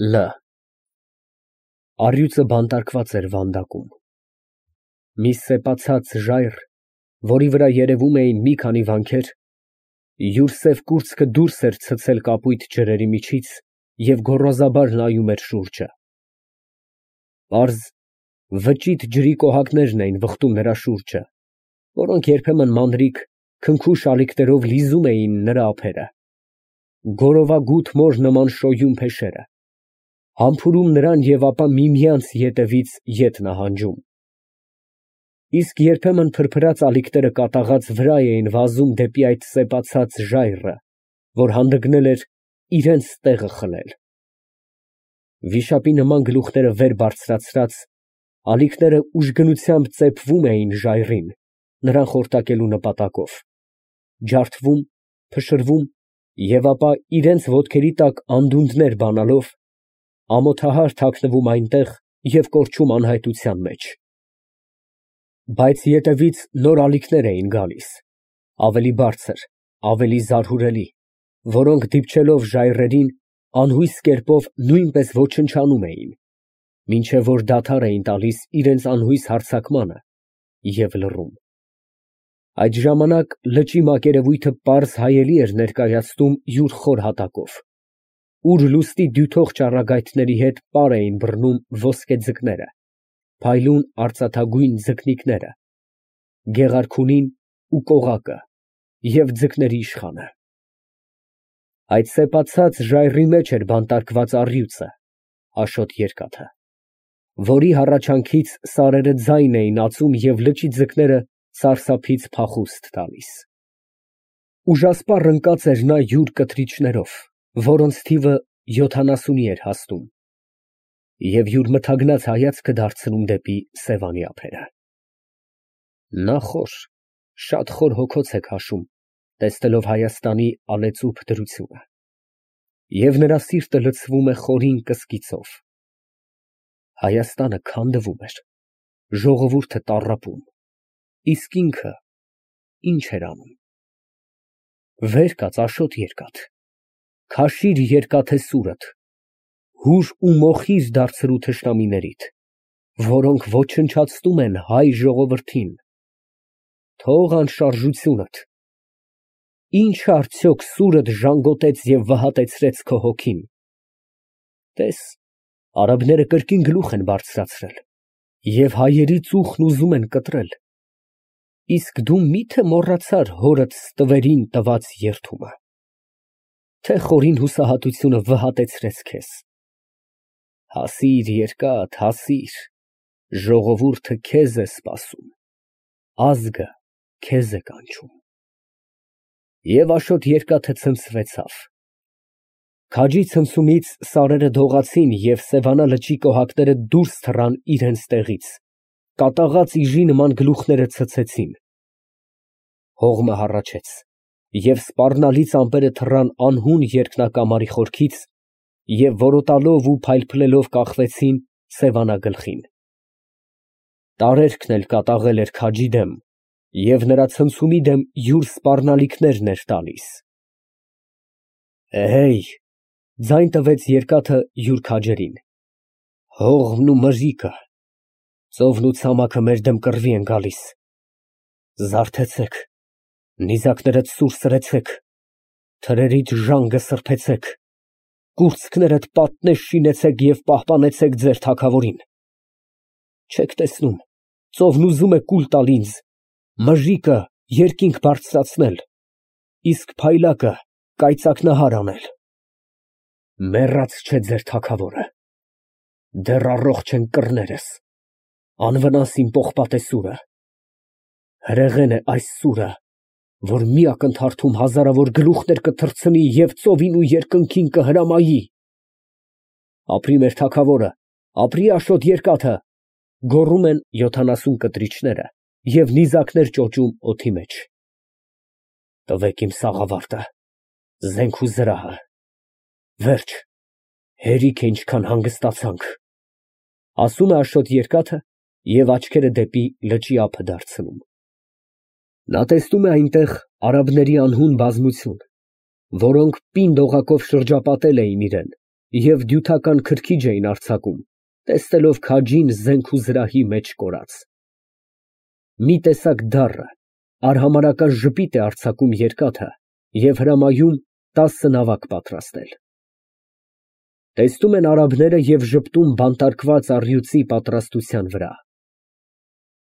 Լ Առյուծը բանտարկված էր վանդակում։ Մի սեպացած ժայռ, որի վրա երևում էին մի քանի վանքեր, յուր սև կուրծքը դուրս էր ցցել կապույտ ջրերի միջից և գոռոզաբար նայում էր շուրջը։ Պարզ, վճիտ ջրի կոհակներն էին վխտում նրա շուրջը, որոնք երբեմն մանրիկ, քնքուշ ալիքներով լիզում էին նրա ափերը, գորովագութ մոր նման շոյում փեշերը, համբուրում նրան և ապա միմյանց ետևից ետ նահանջում։ Իսկ երբեմն փրփրած ալիքները կատաղած վրա էին վազում դեպի այդ սեպացած ժայռը, որ հանդգնել էր իրենց տեղը խլել։ Վիշապի նման գլուխները վեր բարձրացրած, ալիքները ուժգնությամբ ծեփվում էին ժայռին, նրան խորտակելու նպատակով, ջարդվում, փշրվում և ապա իրենց ոտքերի տակ անդունդներ բանալով, ամոթահար թաքնվում այնտեղ և կորչում անհայտության մեջ։ Բայց ետևից նոր ալիքներ էին գալիս, ավելի բարձր, ավելի զարհուրելի, որոնք դիպչելով ժայռերին, անհույս կերպով նույնպես ոչնչանում էին, մինչև որ դադար էին տալիս իրենց անհույս հարձակմանը և լռում։ Այդ ժամանակ լճի մակերևույթը պարզ հայելի էր ներկայացնում յուր խոր հատակով, ուր լուսնի դյութող ճառագայթների հետ պար էին բռնում ոսկե ձկները, փայլուն արծաթագույն ձկնիկները, գեղարքունին ու կողակը և ձկների իշխանը։ Այդ սեպացած ժայռի մեջ էր բանտարկված առյուծը, Աշոտ Երկաթը, որի հառաչանքից սարերը ձայն էին ածում և լճի ձկները սարսափից փախուստ տալիս։ Ուժասպառ ընկած էր նա յուր կթրիչներով, որոնց թիվը 70-ի էր հասնում, և յուր մթագնած հայացքը դարձնում դեպի Սևանի ափերը։ Նա շատ խոր հոգոց է քաշում, տեսնելով Հայաստանի ալեծուփ դրությունը, և նրա սիրտը լցվում է խորին կսկիծով։ Հայաստանը քանդվում էր, ժողովուրդը տառապում, իսկ ինքը ի՞նչ էր անում։ Վեր կաց, Աշոտ Երկաթ, քաշիր երկաթե սուրդ, հուր ու մոխիր դարձրու թշնամիներիդ, որոնք ոչնչացնում են հայ ժողովրդին, թող անշարժությունդ, ի՞նչ արդյոք սուրդ ժանգոտեց և վհատեցրեց քո հոգին։ Տես, արաբները կրկին գլուխ են բարձրացրել և հայերի ծուխն ուզում են կտրել, իսկ դու մի՞թե մոռացար հորդ ստվերին տված երդումը, թե խորին հուսահատությունը վհատեցրեց քեզ։ Հասիր, երկաթ, հասիր, ժողովուրդը քեզ է սպասում, ազգը քեզ է կանչում։ Եվ Աշոտ Երկաթը ցնցվեցավ։ Քաջի ցնցումից սարերը դողացին և Սևանա լճի կոհակները դուրս թռան իրենց տեղից, կատաղած իժի նման գլուխները ցցեցին։ Հողմը հառաչեց, և սպառնալից ամպերը թռան անհուն երկնակամարի խորքից և որոտալով ու փայլփլելով կախվեցին Սևանա գլխին։ Տարերքն էլ կատաղել էր քաջի դեմ և նրա ցնցումի դեմ յուր սպառնալիքներն էր տալիս։ Էհեյ, ձայն տվեց երկաթը յուր քաջերին, հողմն ու մրրիկը, ծովն ու ցամաքը մեր դեմ կռվի են գալիս, զարթեցեք, նիզակներդ սուր սրեցեք, թրերիդ ժանգը սրբեցեք, կուրծքներդ պատնեշ շինեցեք և պահպանեցեք ձեր թագավորին։ Չեք տեսնում, ծովն ուզում է կուլ տալ ինձ, մրրիկը երկինք բարձրացնել, իսկ փայլակը կայծակնահար անել։ Մեռած չէ ձեր թագավորը, դեռ առողջ են կռներս, անվնաս իմ պողպատե սուրը, հրեղեն է այս սուրը, որ մի ակնթարթում հազարավոր գլուխներ կթռցնի և ծովին ու երկնքին կհրամայի։ Ապրի մեր թագավորը, ապրի Աշոտ Երկաթը, գոռում են 70 կտրիչները և նիզակներ ճոճում օդի մեջ։ Տվեք իմ սաղավարտը, զենք ու զրահը, վերջ, հերիք է ինչքան հանգստացանք, ասում է Աշոտ Երկաթը և աչքերը դեպի լճի ափը դարձնում։ Նա տեսնում է այնտեղ արաբների անհուն բազմություն, որոնք պինդ օղակով շրջապատել էին իրան և դյութական քրքիջ էին արձակում, տեսնելով քաջին զենք ու զրահի մեջ կորած։ Մի տեսակ դառը, արհամարհական ժպիտ է արձակում երկաթը և հրամայում 10 նավակ պատրաստել։ Տեսնում են արաբները և ժպտում բանտարկված առյուծի պատրաստության վրա։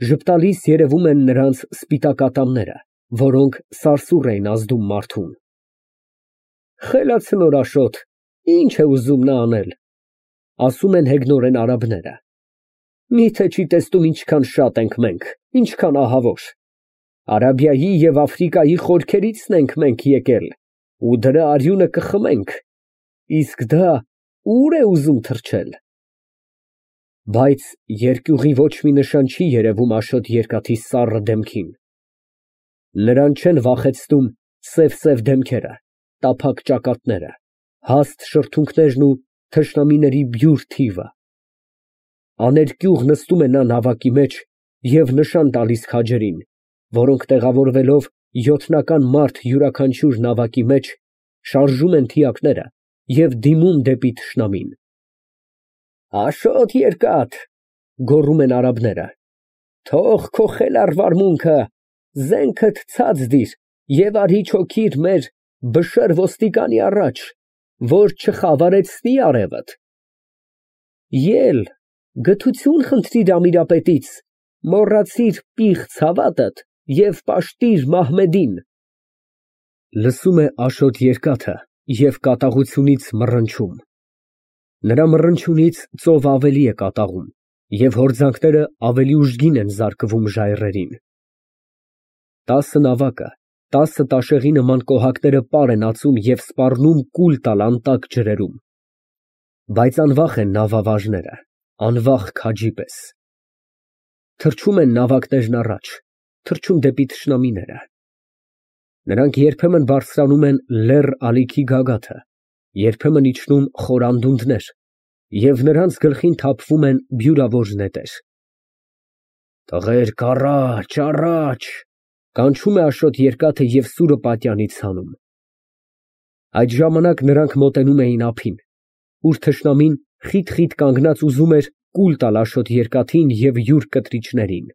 Ժպտալիս երևում են նրանց սպիտակ ատամները, որոնք սարսուռ էին ազդում մարդուն։ Խելացնոր Աշոտ, ինչ է ուզում նա անել, ասում են հեգնորեն արաբները։ Միթե չի տեսնում ինչքան շատ ենք մենք, ինչքան ահավոր։ Արաբիայի և Աֆրիկայի խորքերիցն ենք մենք եկել ու դրա արյունը կխմենք, իսկ դա ուր է ուզում թռչել։ Բայց երկյուղի ոչ մի նշան չի երևում Աշոտ Երկաթի սառը դեմքին։ Նրան չեն վախեցնում սև դեմքերը, տափակ ճակատները, հաստ շրթունքներն ու թշնամիների բյուր թիվը։ Աներկյուղ նստում է նա նավակի մեջ և նշան տալիս քաջերին, որոնք տեղավորվելով 7-ական մարդ յուրաքանչյուր նավակի մեջ, շարժում են թիակները և դիմում դեպի թշնամին։ Աշոտ Երկաթ, գոռում են արաբները, թող քո խելառ վարմունքը, զենքդ ցած դիր և արի չոքիր մեր Բշր ոստիկանի առաջ, որ չխավարեցնի արևդ։ Ել, գթություն խնդրիր Ամիրապետից, մոռացիր պիղծ հավատդ և պաշտիր Մահմեդին։ Լսում է Աշոտ Երկաթը և կատաղությունից մռնչում։ Նրա մռնչյունից ծովը ավելի է կատաղում և հորձանքները ավելի ուժգին են զարկվում ժայռերին։ 10 նավակը, 10 տաշեղի նման կոհակները պար են ածում և սպառնում կուլ տալ անտակ ջրերում։ Բայց անվախ են նավավարժները, անվախ քաջի պես։ Թռչում են նավակներն առաջ, թռչում դեպի թշնամիները։ Նրանք երբեմն բարձրանում են լեռ ալիքի գագաթը, երբեմն իջնում խոր անդունդներ, և նրանց գլխին թափվում են բյուրավոր նետեր։ Տղերք, առաջ, առաջ, կանչում է Աշոտ Երկաթը և սուրը պատյանից հանում։ Այդ ժամանակ նրանք մոտենում էին ափին, ուր թշնամին խիտ կանգնած ուզում էր կուլ տալ Աշոտ Երկաթին և յուր կտրիչներին։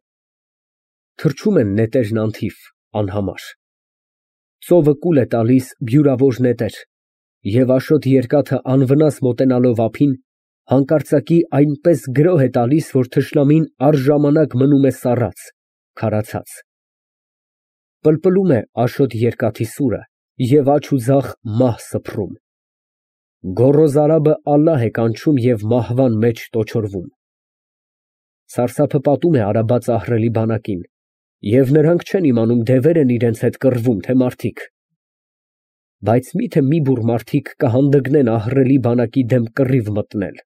Թռչում են նետերն անթիվ, անհամար։ Ծովը կուլ է տալիս բյուրավոր նետեր, և Աշոտ Երկաթը անվնաս մոտենալով ափին, հանկարծակի այնպես գրոհ է տալիս, որ թշնամին առժամանակ մնում է սառած, քարացած։ Պլպլում է Աշոտ Երկաթի սուրը և աջ ու ձախ մահ սփռում։ Գոռոզ արաբը ալլահ է կանչում և մահվան մեջ տոչորվում։ Սարսափը պատում է արաբաց ահռելի բանակին, և նրանք չեն իմանում դևեր են իրենց հետ կռվում, թե մարդիկ։ Բայց մի՞թե մի բուռ մարդիկ կհանդգնեն ահռելի բանակի դեմ կռիվ մտնել։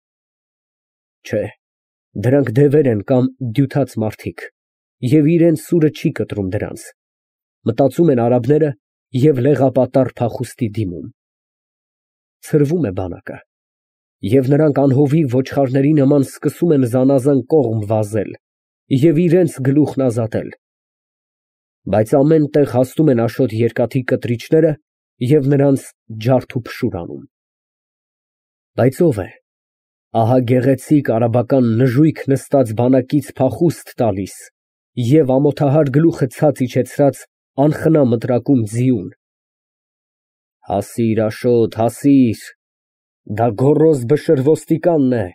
Չէ, դրանք դևեր են կամ դյութաց մարդիկ, և իրենց սուրը չի կտրում դրանց, մտածում են արաբները և լեղապատառ փախուստի դիմում։ Ցրվում է բանակը, և նրանք անհովիվ ոչխարների նման սկսում են զանազան կողմ վազել և իրենց գլուխն ազատել։ Բայց ամեն տեղ հասնում են Աշոտ Երկաթի կտրիչները և նրանց ջարդ ու փշուր անում։ Բայց ո՞վ է։ Ահա գեղեցիկ արաբական նժույգ նստած բանակից փախուստ տալիս և ամոթահար գլուխը ցած իջեցրած անխնա մտրակում ձիուն։ Հասիր, Աշոտ, հասիր, դա գոռոզ Բշր ոստիկանն է,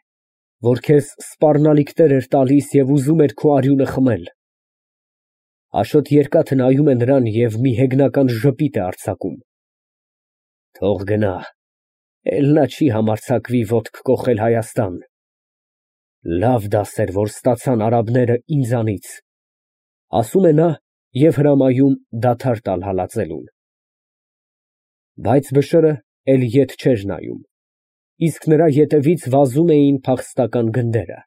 որ քեզ սպառնալիքներ էր տալիս և ուզում էր քո արյունը խմել։ Աշոտ Երկաթը նայում է նրան և մի հեգնական ժպիտ է արձակում։ Թող գնա, էլ նա չի համարձակվի ոտք կոխել Հայաստան։ Լավ դաս էր, որ ստացան արաբները ինձանից, ասում է նա և հրամայում դադար տալ հալածելուն։ Բայց Բշրը էլ ետ չէր նայում, իսկ նրա ետևից վազում էին փախստական գնդերը։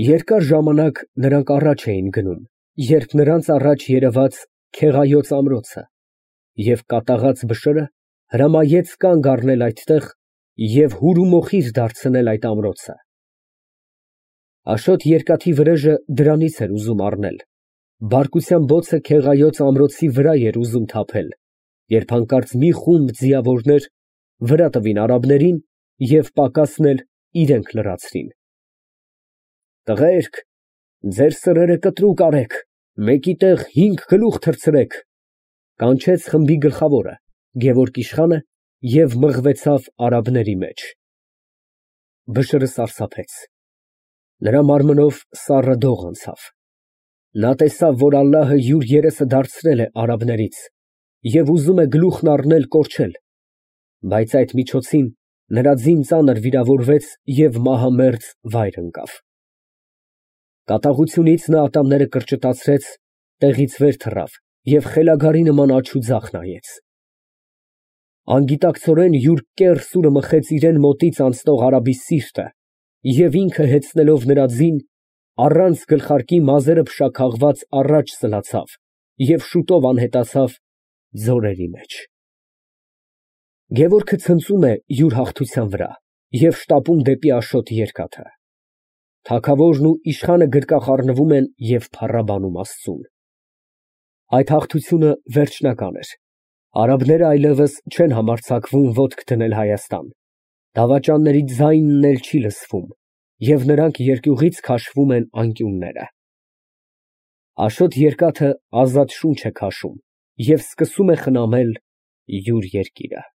Երկար ժամանակ նրանք առաջ էին գնում, երբ նրանց առաջ երևաց Քեղայոց ամրոցը, և կատաղած Բշրը հրամայեց կանգ առնել այդտեղ և հուրումոխիր դարձնել այդ ամրոցը։ Աշոտ Երկաթի վրեժը դրանից էր ուզում առնել, բարկության բոցը Քեղայոց ամրոցի վրա էր ուզում թափել, երբ հանկարծ մի խումբ ձիավորներ վրա տվին արաբներին և պակասն էլ իրենք լրացրին։ Տղերք, ձեր սրերը կտրուկ արեք, մեկի տեղ 5 գլուխ թռցրեք, կանչեց խմբի գլխավորը Գևորգ իշխանը և մղվեցավ արաբների մեջ։ Բշրը սարսափեց, նրա մարմնով սառը դող անցավ։ Նա տեսավ, որ Ալլահը յուր երեսը դարձրել է արաբներից և ուզում է գլուխն առնել կորչել, բայց այդ միջոցին նրա ձին ծանր վիրավորվեց և մահամերձ վայր ընկավ։ Կատաղությունից նա ատամները կրճտացրեց, տեղից վեր թռավ և խելագարի նման աջ ու ձախ նայեց։ Անգիտակցորեն յուր կեռ սուրը մխեց իրան մոտից անցնող արաբի սիրտը և ինքը հեծնելով նրա ձին, առանց գլխարկի մազերը փշաքաղված առաջ սլացավ և շուտով անհետացավ ձորերի մեջ։ Գևորգը ցնծում է յուր հաղթության վրա և շտապում դեպի Աշոտ երկաթը։ Թագավորն ու իշխանը գրկախառնվում են և փառաբանում Աստծուն։ Այդ հաղթությունը վերջնական էր, արաբները այլևս չեն համարձակվում ոտք դնել Հայաստան, դավաճանների ձայնն էլ չի լսվում, և նրանք երկյուղից քաշվում են անկյունները։ Աշոտ երկաթը ազատ շունչ է քաշում և սկսում է խնամել յուր երկիրը։